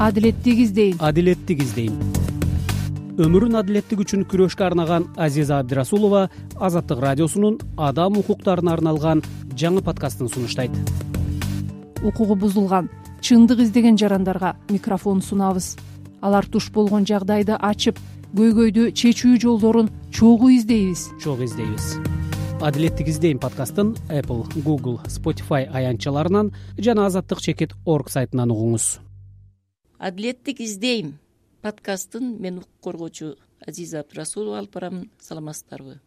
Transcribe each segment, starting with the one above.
Адилеттик издейм. Адилеттик издейм. Өмүрүн адилеттик үчүн күрөшкө арнаган Азиза Абдырасулова Азаттык радиосунун адам укуктарына арналган жаңы подкастын сунуштайт. Укугу бузулган, чындык издеген жарандарга микрофон сунабыз. Алар туш болгон жагдайды ачып, көйгөйдү чечүү жолдорун чогуу издейбиз. Адилеттик издейм подкастын Apple, Google, Spotify аянтчаларынан жана azаттык.org сайтынан угуңуз. Адилеттик издейм подкастын мен укук коргоочу Азиза Абдырасулова алып барамын. Саламатсыздарбы?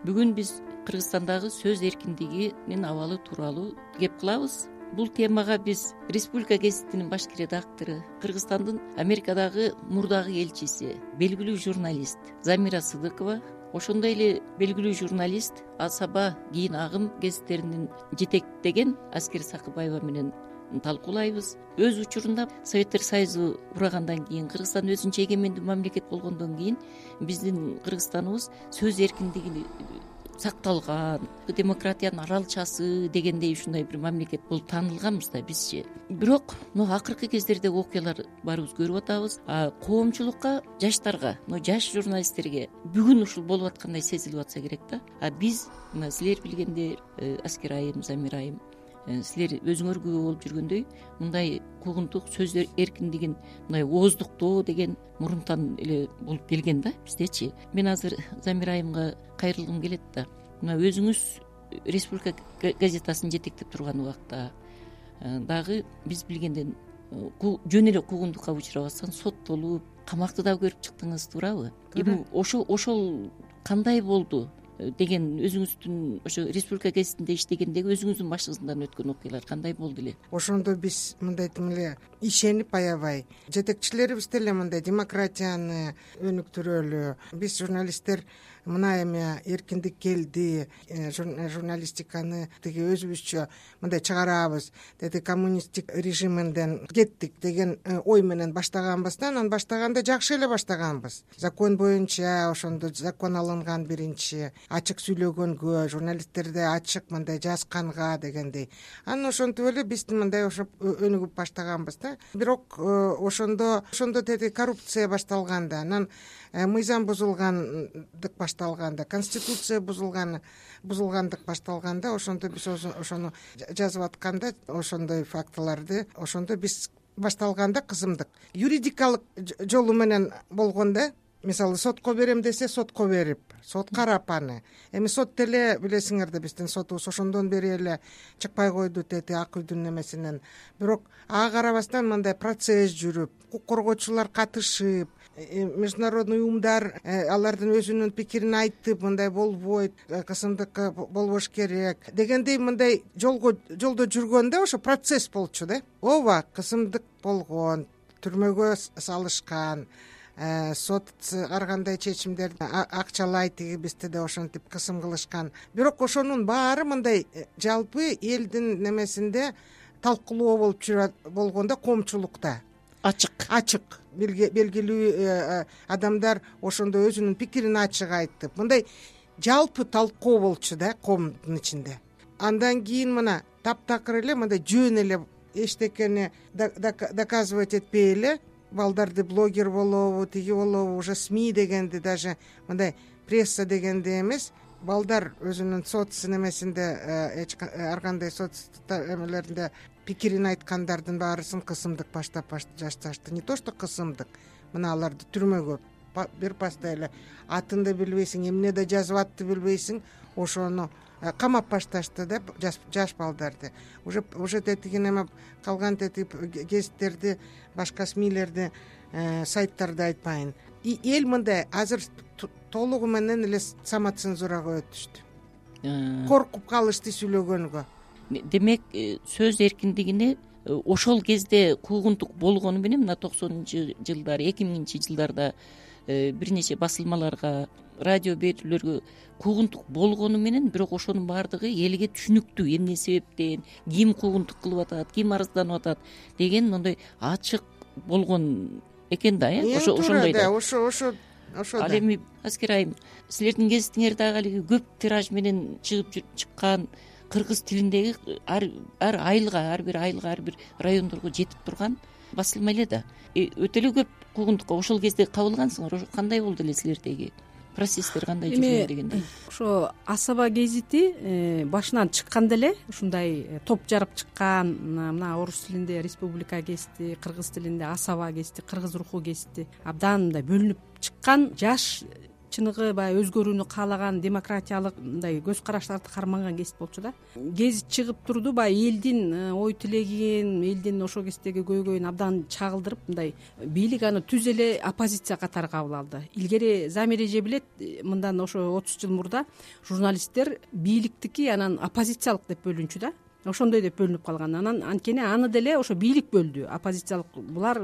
Бүгүн биз Кыргызстандагы сөз эркиндигинин абалы тууралуу кеп кылабыз. Бул темага биз Республика гезитинин башкы редактору, Кыргызстандын Америкадагы мурдагы элчиси, белгилүү журналист Замира Сыдыкова, ошондой эле белгилүү журналист Асаба кийин Агым гезиттеринин жетектеген Аскер Сакыбаева менен талкуулайбыз. Өз учурунда Советтер Союзу урагандан кийин, Кыргызстан өзүнчө эгемендүү мамлекет болгондон кийин биздин Кыргызстаныбыз сөз эркиндиги сакталган, демократиянын аралчасы дегендей ушундай бир мамлекет болуп таанылганбыз да бизчи. Бирок акыркы кездердеги окуялар баарыбыз көрүп атабыз. Коомчулукка, жаштарга, жаш журналисттерге бүгүн ушул болуп аткандай сезилип атса керек да. Биз силер билгендей, Аскер айым, Замир айым, силер өзүңөр күбө болуп жүргөндөй мындай куугунтук сөз эркиндигин мындай ооздуктоо деген мурунтан эле болуп келген да биздечи. Мен азыр Замир айымга кайрылгым келет да. Мына өзүңүз Республика газетасын жетектеп турган убакта дагы биз билгенден жөн эле куугунтукка учурабастан соттолуп, камакты да көрүп чыктыңыз, туурабы? Эми ошол кандай болду деген өзүңүздүн ошо Республика гезитинде иштегендеги өзүңүздүн башыңыздан өткөн окуялар кандай болду эле? Ошондо биз мындай тим эле ишенип аябай жетекчилерибиз деле мындай демократияны өнүктүрөлү. Биз журналисттер мына эми эркиндик келди, журналистиканы тиги өзүбүзчө мындай чыгарабыз, деди коммунисттик режиминден кеттик деген ой менен баштаганбыз да. Анан баштаганда жакшы эле баштаганбыз. Закон боюнча ошондо закон алынган биринчи, ачык сүйлөгөнгө, журналисттерди ачык мындай жазганга дегендей. Анан ошентип эле биз мындай ошо өнүгүп баштаганбыз да. Бирок ошондо деди коррупция башталганда, анан мыйзам бузулгандык башталганда, конституция бузулгандык башталганда, ошондо биз ошону жазып атканда, ошондой фактыларды ошондо биз башталганда кызымдык юридикалык жолу менен болгондо, мисалы сотко берем десе сотко берип, сот карап аны. Эми сот деле билесиңер да биздин сотубуз ошондон бери эле чыкпай койду деди Ак үйдүн немесинен. Бирок ага карабастан мындай процесс жүрүп, укук коргоочулар катышып, международный уюмдар алардын өзүнүн пикирин айтып, мындай болбойт, кысымдык болбош керек дегендей мындай жолдо жүргөндө ошо процесс болчу да. Ооба, кысымдык болгон, түрмөгө салышкан, сот ар кандай чечимдерди акчалай, тиги бизде да ошентип кысым кылышкан. Бирок ошонун баары мындай жалпы элдин немесинде талкуулоо болуп жүрөт болгондо, коомчулукта ачык белгилүү адамдар ошондо өзүнүн пикирин ачык айтып, мындай жалпы талкуу болчу да коомдун ичинде. Андан кийин мына таптакыр эле мындай жөн эле эчтекени доказывать этпей эле балдарды блогер болобу, тиги болобу, уже СМИ дегенди, даже мындай пресса дегенди эмес, балдар өзүнүн соц немесинде, ар кандай соц эмелеринде пикирин айткандардын баарысын кысымдык баштап жашташты. Не то что кысымдык, мына аларды түрмөгө бир паста эле атын да билбейсиң, эмне да жазып атты билбейсиң, ошону камап башташты да жаш балдарды. Уже тетиги неме калган тетип гезиттерди, башка СМИлерди, сайттарды айтпайын. Эл мындай азыр толугу менен эле самоцензурага өтүштү. Коркуп калышты сүйлөгөнгө. Демек, сөз эркиндигине ошол кезде куугунтук болгону менен мына 90-жылдар, 2000-жылдарда бир нече басылмаларга, радио берүүлөргө куугунтук болгону менен, бирок ошонун баардыгы элге түшүнүктүү, эмне себептен, ким куугунтук кылып атат, ким арызданып атат деген моундай ачык болгон экен да, ошондой да. Ошо Ал эми Аскер айым, силердин гезитиңер дагы алиги көп тираж менен чыккан кыргыз тилиндеги ар айылга, ар бир айылга, ар бир райондорго жетип турган басылма эле да. Өтө эле көп куугунтукка ошол кезде кабылгансыңар. Ошо кандай болду эле силердеги процесстер, кандай жүргөн дегендей? Ошо Асаба гезити башынан чыкканда эле ушундай топ жарып чыккан. Мына орус тилинде Республика гезити, кыргыз тилинде Асаба гезити, кыргыз руху гезити абдан мындай бөлүнүп чыккан, жаш чыныгы баягы өзгөрүүнү каалаган, демократиялык мындай көз караштарды карманган гезит болчу да. Гезит чыгып турду, баягы элдин ой тилегин, элдин ошол кездеги көйгөйүн абдан чагылдырып, мындай бийлик аны түз эле оппозиция катары кабыл алды. Илгери Замиреже билет, мындан ошо 30 жыл мурда журналисттер бийликтики анан оппозициялык деп бөлүнчү да. Ошондой деп бөлүнүп калган. Анан анткени аны деле ошо бийлик бөлдү. Оппозициялык, булар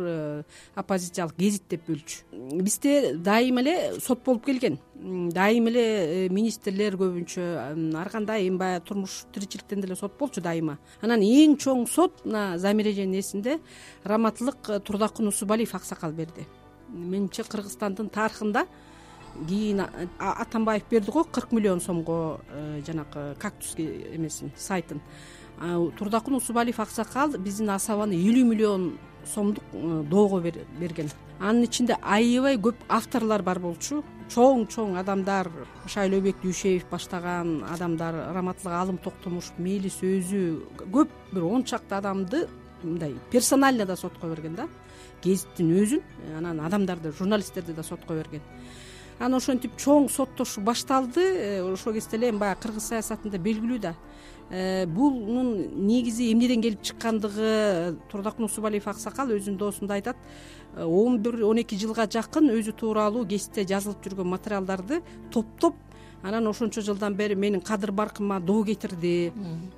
оппозициялык гезит деп бөлчү. Бизде дайыма эле сот болуп келген. Дайыма эле министрлер көбүнчө ар кандай баягы турмуш тиричиликтен деле сот болчу дайыма. Анан эң чоң сот мына Замиреженин эсинде Раматылык Турдакун Усубалиев аксакал берди. Менимче Кыргызстандын тарыхында кийин Атамбаев берди го 40 миллион сомго жанагы кактус эмесин, сайтын. Турдакун Усубалиев аксакал биздин Асабаны 50 миллион сомдук доого берген. Анын ичинде аябай көп авторлор бар болчу. Чоң адамдар, Шайлообек Дүйшеев баштаган адамдар, Раматылык Алым Токтомушев, Мелис өзү, көп бир 10 чакты адамды мындай персонально да сотко берген да. Гезиттин өзүн, анан адамдарды, журналисттерди да сотко берген. Анан ошентип чоң соттошуу башталды. Ошол кезде эле баягы кыргыз саясатында белгилүү да. Бунун негизи эмнеден келип чыккандыгы Турдакун Усубалиев аксакал өзүнүн доосунда айтат. 11-12 жылга жакын өзү тууралуу гезитте жазылып жүргөн материалдарды топтоп, анан ошончо жылдан бери менин кадыр баркыма доо кетирди.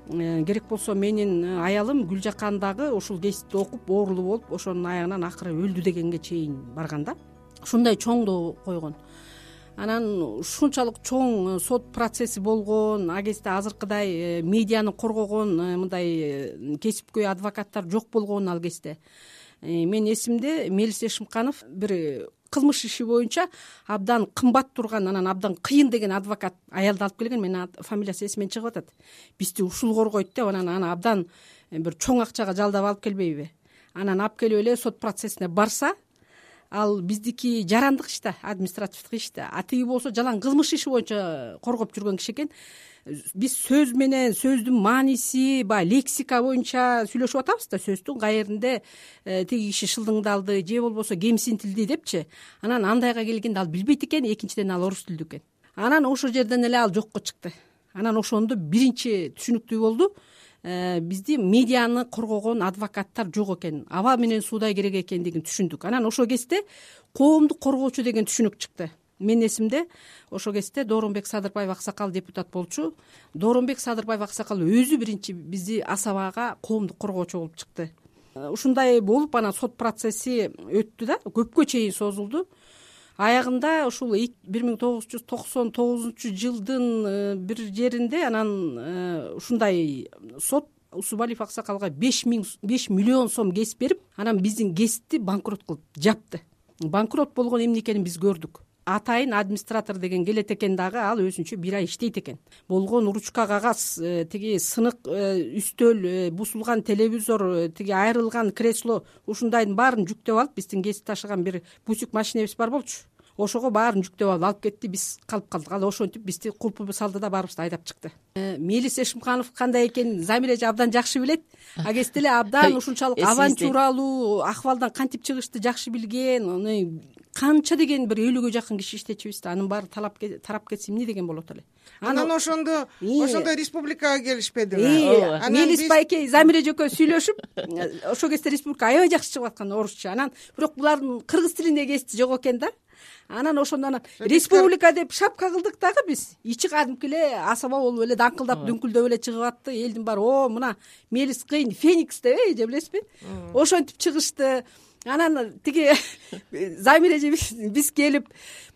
Керек болсо менин аялым Гүлжакан дагы ушул гезитти окуп оорулуу болуп, ошонун аягынан акыры өлдү дегенге чейин барган да. Ушундай чоң доо койгон. Анан ушунчалык чоң сот процесси болгон, агезде азыркыдай медианы коргогон мындай кесипкөй адвокаттар жок болгон ал кезде. Мен эсимде Мелис Эшимканов бир кылмыш иши боюнча абдан кымбат турган, анан абдан кыйын деген адвокат аялды алып келген. Менин фамилиясы эсимден чыгып атат. Бизди ушул коргойт деп, анан аны абдан бир чоң акчага жалдап алып келбейби. Анан алып келип эле сот процессине барса, ал биздики жарандык иш да, административдик иш да. Тиги болсо жалаң кылмыш иши боюнча коргоп жүргөн киши экен. Биз сөз менен, сөздүн мааниси, баягы лексика боюнча сүйлөшүп атабыз да, сөздүн каеринде тиги киши шылдыңдалды же болбосо кемсинтилди депчи. Анан андайга келгенде ал билбейт экен, экинчиден ал орус тилдүү экен. Анан ошол жерден эле ал жокко чыкты. Анан ошондо биринчи түшүнүктүү болду. Бизди медианы коргогон адвокаттар жок экен. Аба менен суудай керек экендигин түшүндүк. Анан ошол кезде коомду коргоочу деген түшүнүк чыкты. Менин эсимде ошол кезде Дооронбек Садырбаев аксакал депутат болчу. Дооронбек Садырбаев аксакал өзү биринчи бизди Асабага коомду коргоочу болуп чыкты. Ушундай болуп анан сот процесси өттү да, көпкө чейин созулду. Аягында ушул 1999 жылдын бир жеринде анан ушундай сот Усубалиев аксакалга 5 миллион сом кесип берип, анан биздин гезитти банкрот кылып жапты. Банкрот болгон эмне экенин биз көрдүк. Атайын администратор деген келет экен дагы, ал өзүнчө 1 ай иштейт экен. Болгон ручка кагаз, тиги сынык үстөл, бусулган телевизор, тиги айрылган кресло, ушундайдын баарын жүктөп алып, биздин гезит ташыган бир бусик машинебиз бар болчу. Ошого баарын жүктөп алып кетти, биз калып калдык. Ал ошентип бизди кулпу салды да баарыбызды айдап чыкты. Мелис Эшимканов кандай экенин Замиреже абдан жакшы билет. Агезде эле абдан ушунчалык авантюралуу акыбалдан кантип чыгышты жакшы билген. Канча деген бир 50гө жакын киши иштечүбүз да, анын баары тарап кетсе эмне деген болот эле. Анан ошондой республикага келишпедиби? Мелис байке Замиреже экөө сүйлөшүп, ошол кезде республика аябай жакшы чыгып аткан орусча. Анан бирок булардын кыргыз тилинде гезити жок экен да. Анан ошондон республика деп шапка кылдык дагы биз. Ичи кадимки эле Асаба болуп эле даңкылдап, дүңкүлдөп эле чыгып атты. Элдин баары, мына Мелис кыйын Феникс деп, же билесизби? Ошентип чыгышты. Анан тиги Замиреже биз келип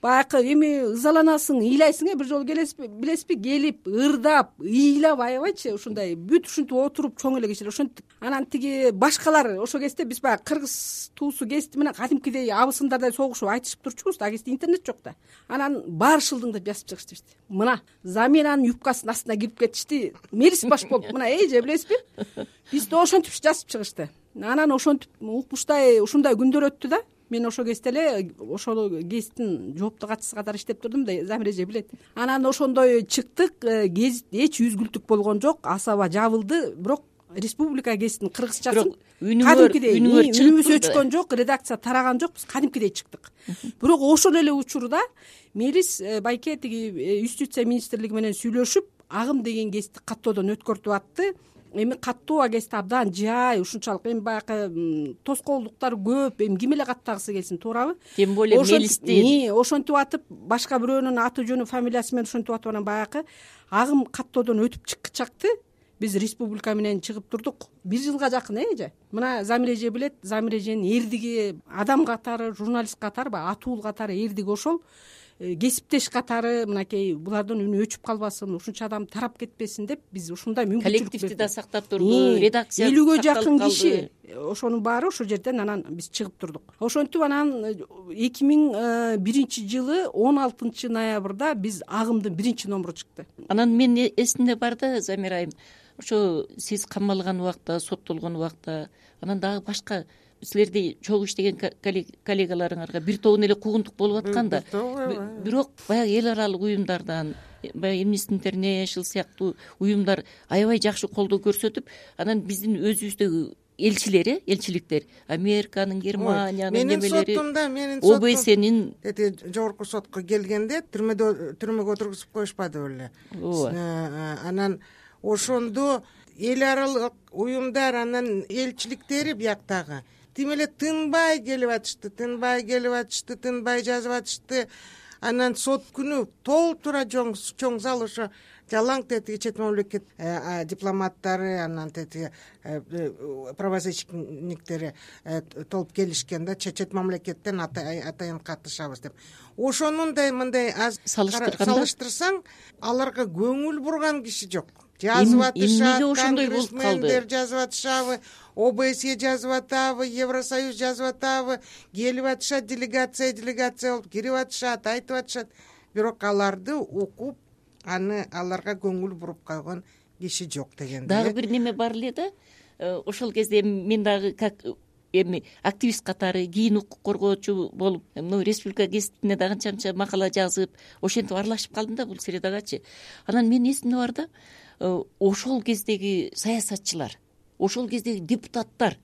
баягы эми ызаланасың, ыйлайсың, бир жолу билесизби, келип ырдап, ыйлап аябайчы ушундай бүт ушинтип отуруп чоң эле кишилер ошентип. Анан тиги башкалар ошол кезде биз баягы кыргыз туусу кести менен кадимкидей абысындардай согушуп айтышып турчубуз. Ал кезде интернет жок да. Анан баары шылдыңдап жазып чыгышты бизди. Мына Замиранын юбкасынын астына кирип кетишти. Мелис баш болуп мына эже билесизби? Бизди ошентип жазып чыгышты. Анан ошентип укмуштай ушундай күндөр өттү да. Мен ошол кезде эле ошол гезиттин жооптуу катчысы катары иштеп турдум да, Замир эже билет. Анан ошондой чыктык, гезит эч үзгүлтүк болгон жок, асаба жабылды, бирок республика гезитинин кыргызчасын кадимкидей үнүбүз өчкөн жок, редакция тараган жок, биз кадимкидей чыктык. Бирок ошол эле учурда Мелис байке тиги юстиция министрлиги менен сүйлөшүп, агым деген гезитти каттоодон өткөртүп атты. Эми каттоо гезит абдан жай, ушунчалык эми баягы тоскоолдуктар көп, эми ким эле каттагысы келсин, туурабы? Тем более Мелисти ошентип атып, башка бирөөнүн аты жөнү, фамилиясы менен ошентип атып, анан баягы агым каттоодон өтүп чыкчакты. Биз республика менен чыгып турдук 1 жылга жакын эже. Мына Замир эже билет, Замир эженин эрдиги адам катары, журналист катары, баягы атуул катары эрдиги ошол. Кесиптеш катары мынакей булардын үнү өчүп калбасын, ушунча адам тарап кетпесин деп биз ушундай мүмкүнчүлүк коллективди да сактап турду, редакция 50ге жакын киши, ошонун баары ошол жерден анан биз чыгып турдук. Ошентип анан 2001 жылы 16 ноябрда биз агымдын 1-номуру чыкты. Анан мен эсимде бар да, Замир айым, ошо сиз камалган убакта, соттолгон убакта, анан дагы башка силерди чогуу иштеген коллегаларыңарга бир тобун эле куугунтук болуп аткан да. Бирок баягы эл аралык уюмдардан, баягы Amnesty International сыяктуу уюмдар аябай жакшы колдоо көрсөтүп, анан биздин өзүбүздөгү элчилери, элчиликтер, Американын, Германиянын немелери, менин ОБСнин жогорку сотко келгенде түрмөгө отургузуп коюшпады беле. Анан ошондо эл аралык уюмдар, анан элчиликтери бияктагы тим эле тынбай келип атышты, тынбай жазып атышты. Анан сот күнү толтура чоң зал ошо жалаң тетиги чет мамлекет дипломаттары, анан тетиги правозащитниктери толуп келишкен да, чет мамлекеттен атайын катышабыз деп. Ошонундай мындай аз салыштырсаң, аларга көңүл бурган киши жок. Жазып атышат, конгрессмендер жазып атышабы, ОБСЕ жазып атабы, Евросоюз жазып атабы, келип атышат, делегация болуп кирип атышат, айтып атышат. Бирок аларды окуп, аны аларга көңүл буруп койгон киши жок дегенде. Дагы бир неме бар эле да. Ошол кезде мен дагы как эми активист катары, кийин укук коргоочу болуп, республика гезитине дагы канча макала жазып, ошентип аралашып калдым да бул средагачы. Анан менин эсимде бар да, ошол кездеги саясатчылар, ошол кездеги депутаттар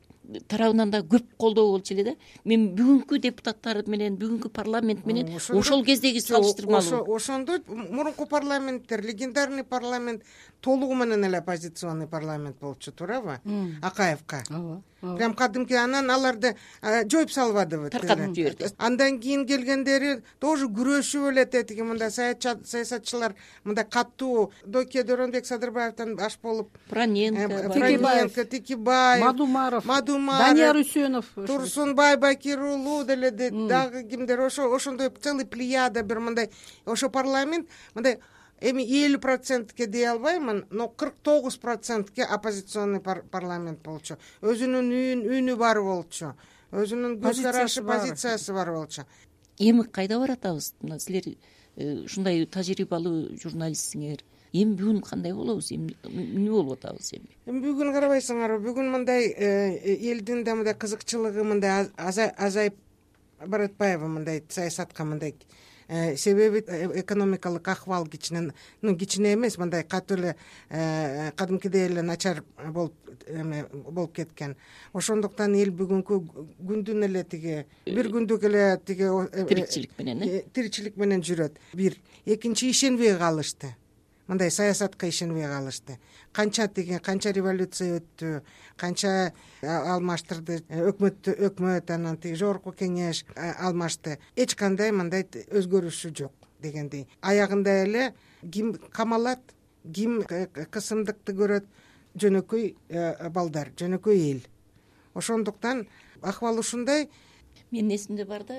тарабынан да көп колдоо болчу эле да. Мен бүгүнкү депутаттар менен, бүгүнкү парламент менен ошол кездеги салыштырмалуу. Ошондо мурунку парламенттер, легендарный парламент толугу менен эле оппозиционный парламент болчу, туурабы? Акаевка. Прям кадимки, анан аларды жоюп салбадыбы, таркатып жиберди. Андан кийин келгендери тоже күрөшүп эле тетиги мындай саясатчылар, мындай каттуу Доке Доронбек Садырбаевден баш болуп, Проненко, Текебаев, Мадумаров, Данияр Үсөнов, Турсунбай Бакирулу деле дагы кимдер, ошондой целый плеяда бир мындай, ошо парламент мындай эми 50%ке дей албаймын, но 49%ке оппозиционный парламент болчу. Өзүнүн үнү бар болчу. Өзүнүн көз карашы, позициясы бар болчу. Эми кайда баратабыз? Силер ушундай тажрыйбалуу журналистсиңер. Эми бүгүн кандай болобуз? Эмне болуп атабыз эми? Бүгүн карабайсыңарбы? Бүгүн мындай элдин да мындай кызыкчылыгы мындай азайып баратпайбы мындай саясатка мындай? Себеби экономикалык акыбал кичине эмес, мындай катуу эле кадимкидей эле начар болуп кеткен. Ошондуктан эл бүгүнкү күндүн эле тиги бир күндүк эле тиги тиричилик менен жүрөт. Бир, экинчи ишенбей калышты. Мындай саясатка ишенбей калышты. Канча революция өттү, канча алмаштырды өкмөт, анан тиги жогорку кеңеш алмашты. Эч кандай мындай өзгөрүшү жок дегендей. Аягында эле ким камалат, ким кысымдыкты көрөт, жөнөкөй балдар, жөнөкөй эл. Ошондуктан акыбал ушундай. менин эсимде бар да,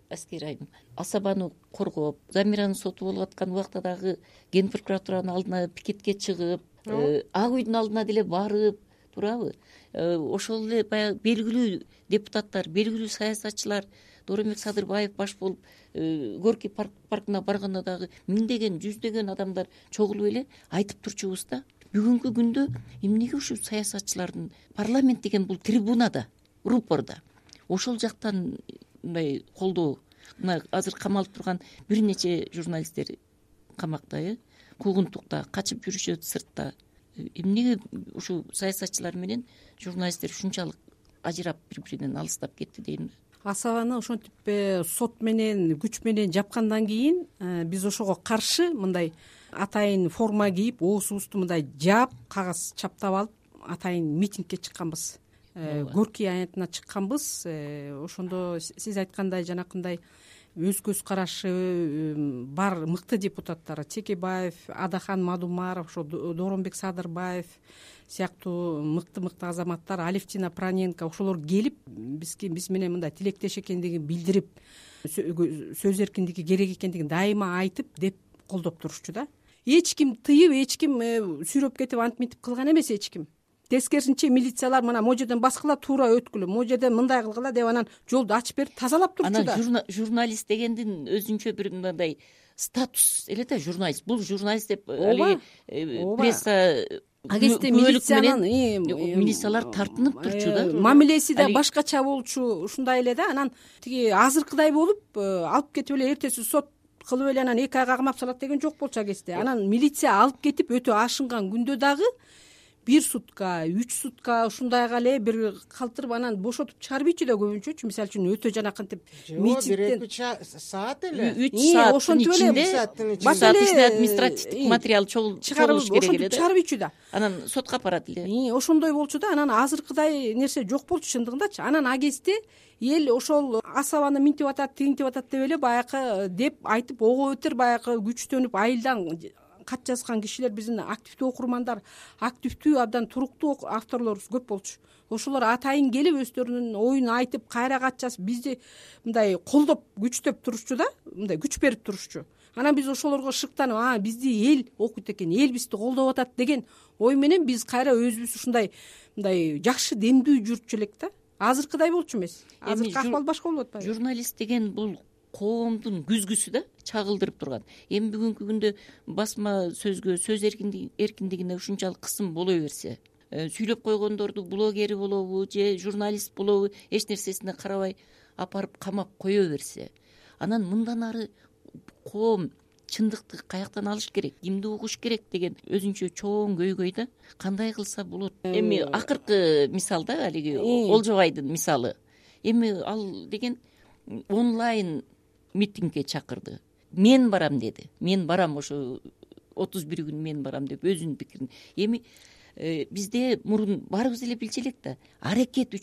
аскер айым асабаны коргоп, Замираны соту болуп аткан убакта дагы ген прокуратуранын алдына пикетке чыгып, ак үйдүн алдына деле барып, туурабы? Ошол эле баягы белгилүү депутаттар, белгилүү саясатчылар, Дооронбек Садырбаев баш болуп, Горький паркына барганда дагы миңдеген, жүздөгөн адамдар чогулуп эле айтып турчубуз да. Бүгүнкү күндө эмнеге ушул саясатчылардын парламент деген бул трибунада, рупорда ошол жактан мындай колдоо, мына азыр камалып турган бир нече журналисттер камакта, куугунтукта качып жүрүшөт сыртта. Эмнеге ушул саясатчылар менен журналисттер ушунчалык ажырап бири-биринен алыстап кетти дейм. Асабаны ошентип сот менен, күч менен жапкандан кийин биз ошого каршы мындай атайын форма кийип, оозубузду мындай жаап, кагаз чаптап алып, атайын митингке чыкканбыз. Горький аянтына чыкканбыз. Ошондо сиз айткандай жанакындай өз көз карашы бар мыкты депутаттар, Текебаев, Адахан Мадумаров, ошо Дооронбек Садырбаев сыяктуу мыкты азаматтар, Алевтина Проненко, ошолор келип биз менен мындай тилектеш экендигин билдирип, сөз эркиндиги керек экендигин дайыма айтып деп колдоп турушчу да. Эч ким тыйып, эч ким сүйрөп кетип антип мынтип кылган эмес эч ким. Тескерисинче милициялар мына могу жерден баскыла, туура өткүлө, могу жерден мындай кылгыла деп анан жолду ачып берип тазалап турчу да. Анан журналист дегендин өзүнчө бир мындай статус эле да, журналист. Бул журналист деп пресса агесте милициялар тартынып турчу да. Мамилеси да башкача болчу, ушундай эле да. Анан тиги азыркыдай болуп алып кетип эле эртеси сот кылып эле анан 2 айга камап салат деген жок болчу агесте. Анан милиция алып кетип өтө ашынган күндө дагы 1 сутка, 3 сутка ушундайга эле бир калтырып анан бошотуп чыгарбайчу да көбүнчөчү. Мисалы үчүн өтө жанакынтип митингден 1-2 саат эле, 3 сааттын ичинде башка административдик материал чогулуш керек эле да. Чыгарбайчу да. Анан сотко апарат эле. Ошондой болчу да. Анан азыркыдай нерсе жок болчу чындыгындачы. Анан агесте эл ошол асабаны минтип атат, тигинтип атат деп эле баягы деп айтып ого өтөр баягы күчтөнүп айылдан кат жазган кишилер, биздин активдүү окурмандар, активдүү абдан туруктуу авторлорубуз көп болчу. Ошолор атайын келип өздөрүнүн оюн айтып, кайра кат жазып, бизди мындай колдоп, күчтөп турушчу да, мындай күч берип турушчу. Анан биз ошолорго шыктанып, бизди эл окуйт экен, эл бизди колдоп атат деген ой менен биз кайра өзүбүз ушундай мындай жакшы демдүү жүрчү элек да. Азыркыдай болчу эмес. Азыркы акыбал башка болуп атпайбы? Журналист деген бул коомдун күзгүсү да, чагылдырып турган. Эми бүгүнкү күндө басма сөзгө, сөз эркиндигине ушунчалык кысым боло берсе, сүйлөп койгондорду блогери болобу же журналист болобу эч нерсесине карабай апарып камап кое берсе, анан мындан ары коом чындыкты каяктан алыш керек, кимди угуш керек деген өзүнчө чоң көйгөй да. Кандай кылса болот? Эми акыркы мисал да, алиги Олжобайдын мисалы. Эми ал деген онлайн митингге чакырды. Мен барам деди. Мен барам, ошо 31 күн мен барам деп өзүнүн пикирин. Эми бизде мурун баарыбыз эле билчү элек да. Аракет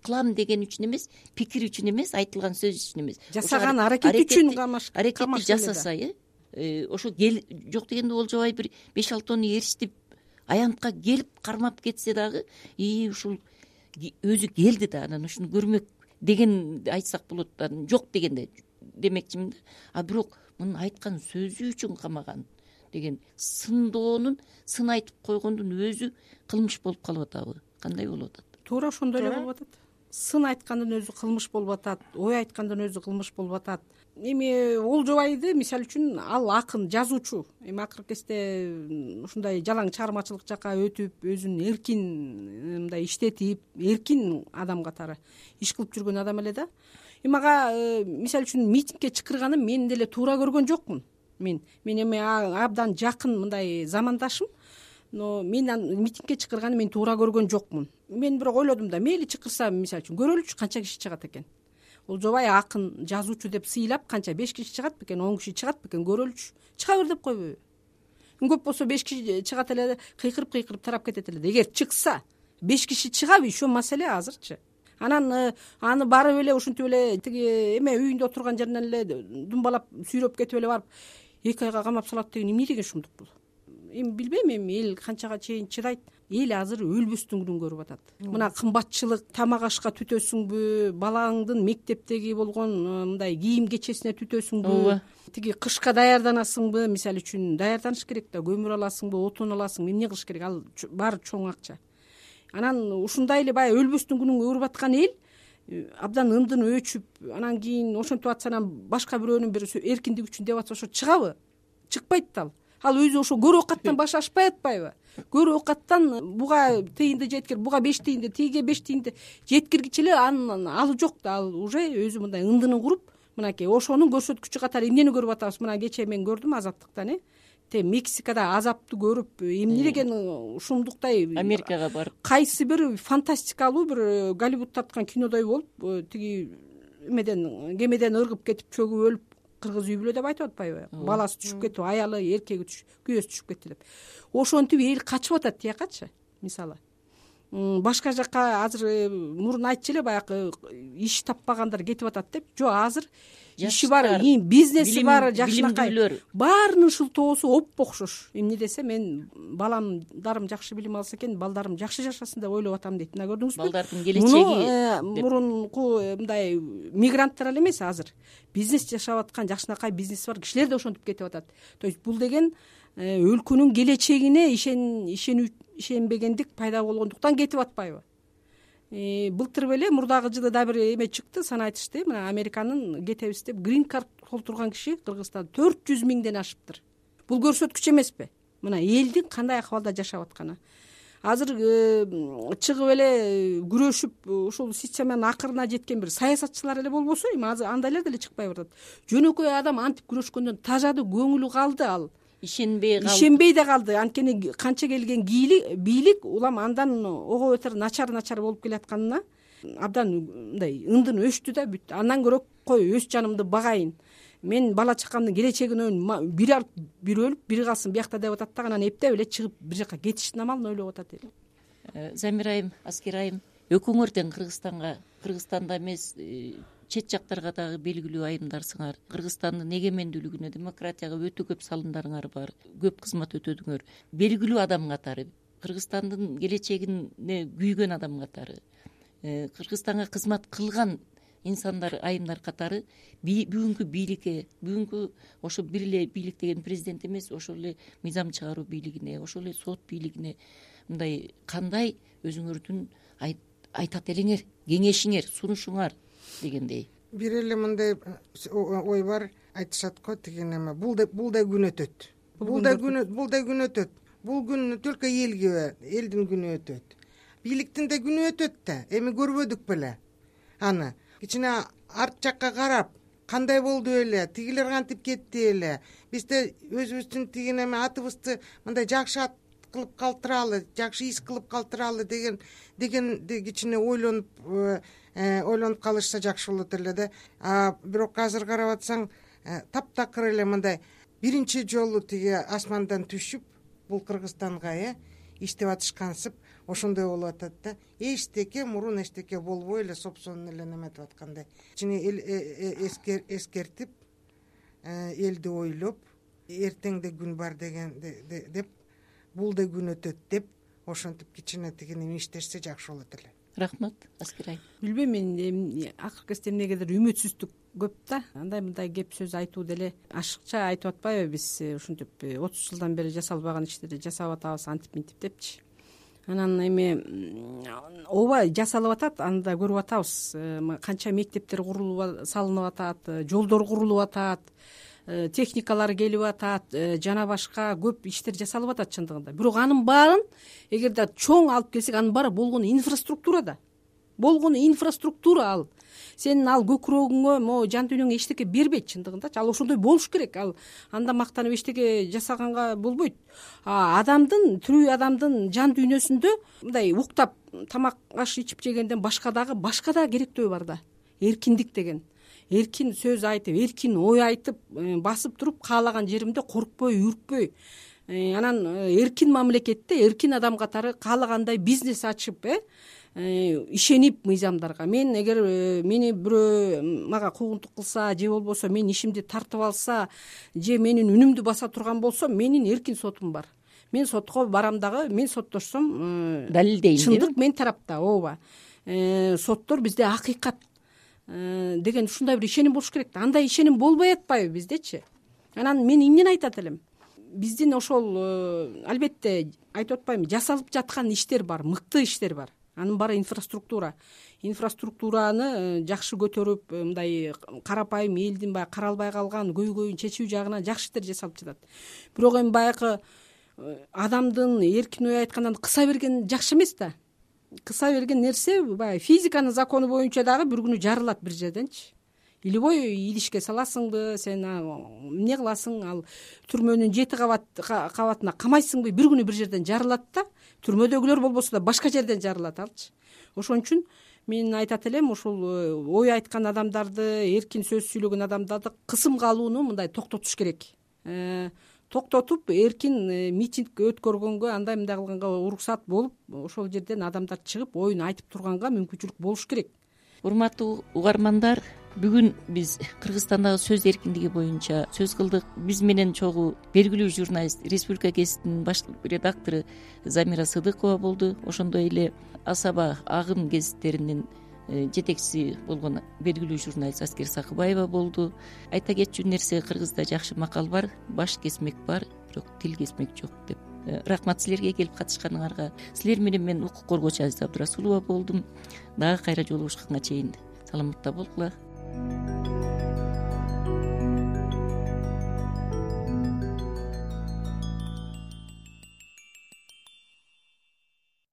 кылам деген үчүн эмес, пикир үчүн эмес, айтылган сөз үчүн эмес. Жасаган аракет үчүн аракетти жасаса, ошо жок дегенде Олжобай бир 5-6 тонну эричтип аянтка келип кармап кетсе дагы, ушул өзү келди да, анан ушуну көрмөк деген айтсак болот. Жок дегенде демекчимин да. А бирок мунун айткан сөзү үчүн камаган деген сындоонун, сын айтып койгондун өзү кылмыш болуп калып атабы? Кандай болуп атат? Туура ошондой эле болуп атат. Сын айткандын өзү кылмыш болуп атат, ой айткандын өзү кылмыш болуп атат. Эми Олжобайды мисалы үчүн ал акын, жазуучу. Эми акыркы кезде ушундай жалаң чыгармачылык жака өтүп, өзүн эркин мындай иштетип, эркин адам катары иш кылып жүргөн адам эле да. Эми ага мисалы үчүн митингке чакырганын мен деле туура көргөн жокмун. Мен эми абдан жакын мындай замандашым. Но мен митингке чакырганын мен туура көргөн жокмун. Мен бирок ойлодум да, мейли чакырса, мисалы үчүн көрөлүчү канча киши чыгат экен. Олжобай акын, жазуучу деп сыйлап канча 5 киши чыгат бекен, 10 киши чыгат бекен, көрөлүчү. Чыга бер деп койбойбу? Көп болсо 5 киши чыгат эле, кыйкырып тарап кетет эле. Эгер чыкса 5 киши чыгабы, ишо маселе азырчы. Анан аны барып эле ушинтип эле тиги эме үйүндө отурган жеринен эле думбалап сүйрөп кетип эле барып 2 айга камап салат деген эмне деген шумдук бул? Эми билбейм, эми эл канчага чейин чыдайт. эл азыр өлбөстүн күнүн көрүп атат. Мына кымбатчылык, тамак ашка түтөсүңбү, балаңдын мектептеги болгон мындай кийим кечесине түтөсүңбү, тиги кышка даярданасыңбы, мисалы үчүн даярданыш керек да, көмүр аласыңбы, отун аласың, эмне кылыш керек, ал баары чоң акча. Анан ушундай эле баягы өлбөстүн күнүн көрүп аткан эл абдан ындын өчүп, анан кийин ошентип атса, анан башка бирөөнүн бир эркиндик үчүн деп атса, ошо чыгабы? Чыкпайт да. Ал өзү ошо көрө оокаттан башы ашпай атпайбы? Көрө оокаттан буга тыйынды жеткир, буга 5 тыйынды, тиге 5 тыйынды жеткиргичи эле анын алы жок да. Ал уже өзү мындай ындынын куруп, мынакей ошонун көрсөткүчү катары эмнени көрүп атабыз? Мына кечээ мен көрдүм Азаттыктан, Мексикада азапты көрүп, эмне деген ушундуктай Америкага барып, кайсы бир фантастикалуу бир Голливуд тарткан кинодой болуп, тиги кемеден ыргып кетип чөгүп өлүп, кыргыз үй бүлө деп айтып атпайбы? Баласы түшүп кетип, аялы, эркеги күйөөсү түшүп кетти деп. Ошентип эл качып атат тиякачы, мисалы. Башка жакка азыр мурун айтчу эле, баягы иш таппагандар кетип атат деп. Жок, азыр иши бар, бизнеси бар, жакшынакай баарынын шылтоосу оп-окшош. Эмне десе, мен баламдарым жакшы билим алса экен, балдарым жакшы жашасын деп ойлоп атам дейт. Мына көрдүңүзбү? Балдардын келечеги мурунку мындай мигранттар эле эмес, азыр бизнес жашап аткан, жакшынакай бизнеси бар кишилер да ошентип кетип атат. То есть бул деген өлкөнүн келечегине ишенбегендик пайда болгондуктан кетип атпайбы? Былтыр беле мурдагы жылы да бир эме чыкты, санайтышты. Мына Американын кетебиз деп грин карт толтурган киши Кыргызстанда 400 миңден ашыптыр. Бул көрсөткүч эмеспи? Мына элдин кандай акыбалда жашап атканы. Азыр чыгып эле күрөшүп, ушул системанын акырына жеткен бир саясатчылар эле болбосо, эми азыр андайлар деле чыкпай барат. Жөнөкөй адам антип күрөшкөндөн тажады, көңүлү калды, ал ишенбей да калды. Анткени канча келген бийлик улам андан ого бетер начар болуп келатканына абдан мындай ындын өчтү да, бүттү. Андан көрө кой өз жанымды багайын, мен бала чакамдын келечегин бири алып бири өлүп, бири калсын биякта деп атат да, анан эптеп эле чыгып бир жака кетиштин амалын ойлоп атат эл. Замир айым, Аскер айым, экөөңөрдөн Кыргызстанда эмес, чет жактарга дагы белгилүү айымдарсыңар. Кыргызстандын эгемендүүлүгүнө, демократияга өтө көп салымдарыңар бар. Көп кызмат өтөдүңөр. Белгилүү адам катары, Кыргызстандын келечегине күйгөн адам катары, Кыргызстанга кызмат кылган инсандар, айымдар катары бүгүнкү бийликке, бүгүнкү ошо бир эле бийлик деген президент эмес, ошол эле мыйзам чыгаруу бийлигине, ошол эле сот бийлигине мындай кандай өзүңөрдүн айтат элеңер, кеңешиңер, сунушуңар дегендей. Бир эле мындай ой бар, айтышат го, тиги неме, бул да күн өтөт. Бул да күн өтөт. Бул күн только элге, элдин күнү өтөт. Бийликтин да күнү өтөт да. Эми көрбөдүк беле аны. Кичине арт жакка карап, кандай болду эле, тигилер кантип кетти эле. Биз да өзүбүздүн тиги неме атыбызды мындай жакшы ат кылып калтыралы, жакшы иш кылып калтыралы деген кичине ойлонуп калышса жакшы болот эле да. Бирок азыр карап атсаң, таптакыр эле мындай биринчи жолу тиги асмандан түшүп, бул Кыргызстанга иштеп атышкансып, ошондой болуп атат да. Эчтеке мурун эчтеке болбой эле сопсонун эле неметип аткандай. Кичине эскертип, элди ойлоп, эртеңде күн бар деген деп, бул да күн өтөт деп, ошентип кичине тигини иштешсе жакшы болот эле. Рахмат, Аскер айым. Билбейм, мен акыркы кезде эмнегедир үмүтсүздүк көп да. Андай кеп сөз айтуу деле ашыкча айтып атпайбы биз, ушинтип 30 жылдан бери жасалбаган иштерди жасап атабыз, антип минтип депчи. Анан эми ооба жасалып атат, аны да көрүп атабыз. Канча мектептер салынып атат, жолдор курулуп атат, техникалар келип атат, жана башка көп иштер жасалып атат чындыгында. Бирок анын баарын эгерде чоң алып келсек, анын баары болгону инфраструктурада. Болгону инфраструктура ал. Сенин ал көкүрөгүңө, могу жан дүйнөңө эчтеке бербейт чындыгындачы. Ал ошондой болуш керек. Ал анда мактанып эчтеке жасаганга болбойт. Тирүү адамдын жан дүйнөсүндө мындай уктап тамак аш ичип жегенден башка дагы керектөө бар да. Эркиндик деген. Эркин сөз айтып, эркин ой айтып, басып туруп каалаган жеримде коркпой, үркпөй, анан эркин мамлекетте эркин адам катары каалагандай бизнес ачып, ишенип мыйзамдарга. Мен эгер мени бирөө мага куугунтук кылса, же болбосо менин ишимди тартып алса, же менин үнүмдү баса турган болсо, менин эркин сотум бар. мен сотко барам дагы мен соттошсом далилдейм чындык менин тарапта. ооба соттор бизде акыйкат деген ушундай бир ишеним болуш керек да. Андай ишеним болбой атпайбы биздечи? Анан мен эмнени айтат элем, биздин ошол албетте айтып атпаймынбы, жасалып жаткан иштер бар, мыкты иштер бар. Анын баары инфраструктураны жакшы көтөрүп, мындай карапайым элдин баягы каралбай калган көйгөйүн чечүү жагынан жакшы иштер жасалып жатат. Бирок эми баягы адамдын эркин ой айткандан кыса берген жакшы эмес да. Кыса берген нерсе баягы физиканын закону боюнча дагы бир күнү жарылат бир жерденчи. Илбой идишке саласыңбы, сен эмне кыласың, ал түрмөнүн 7 кабатына камайсыңбы, бир күнү бир жерден жарылат да. Түрмөдөгүлөр болбосо да башка жерден жарылат алчы. Ошон үчүн мен айтат элем, ушул ой айткан адамдарды, эркин сөз сүйлөгөн адамдарды кысымга алууну мындай токтотуш керек. Токтотуп, эркин митинг өткөргөнгө, андай мындай кылганга уруксат болуп, ошол жерден адамдар чыгып оюн айтып турганга мүмкүнчүлүк болуш керек. Урматтуу угармандар, бүгүн биз Кыргызстандагы сөз эркиндиги боюнча сөз кылдык. Биз менен чогуу белгилүү журналист, Республика гезитинин баш редактору Замира Сыдыкова болду. Ошондой эле Асаба Агым гезиттеринин жетекчиси болгон белгилүү журналист Аскер Сакыбаева болду. Айта кетчү нерсе, Кыргызда жакшы макал бар: баш кесмек бар, бирок тил кесмек жок деп. Рахмат силерге келип катышканыңарга. Силер менен мен укук коргоочу Азиза Абдрасулова болдум. Дагы кайра жолугушканга чейин саламатта болгула.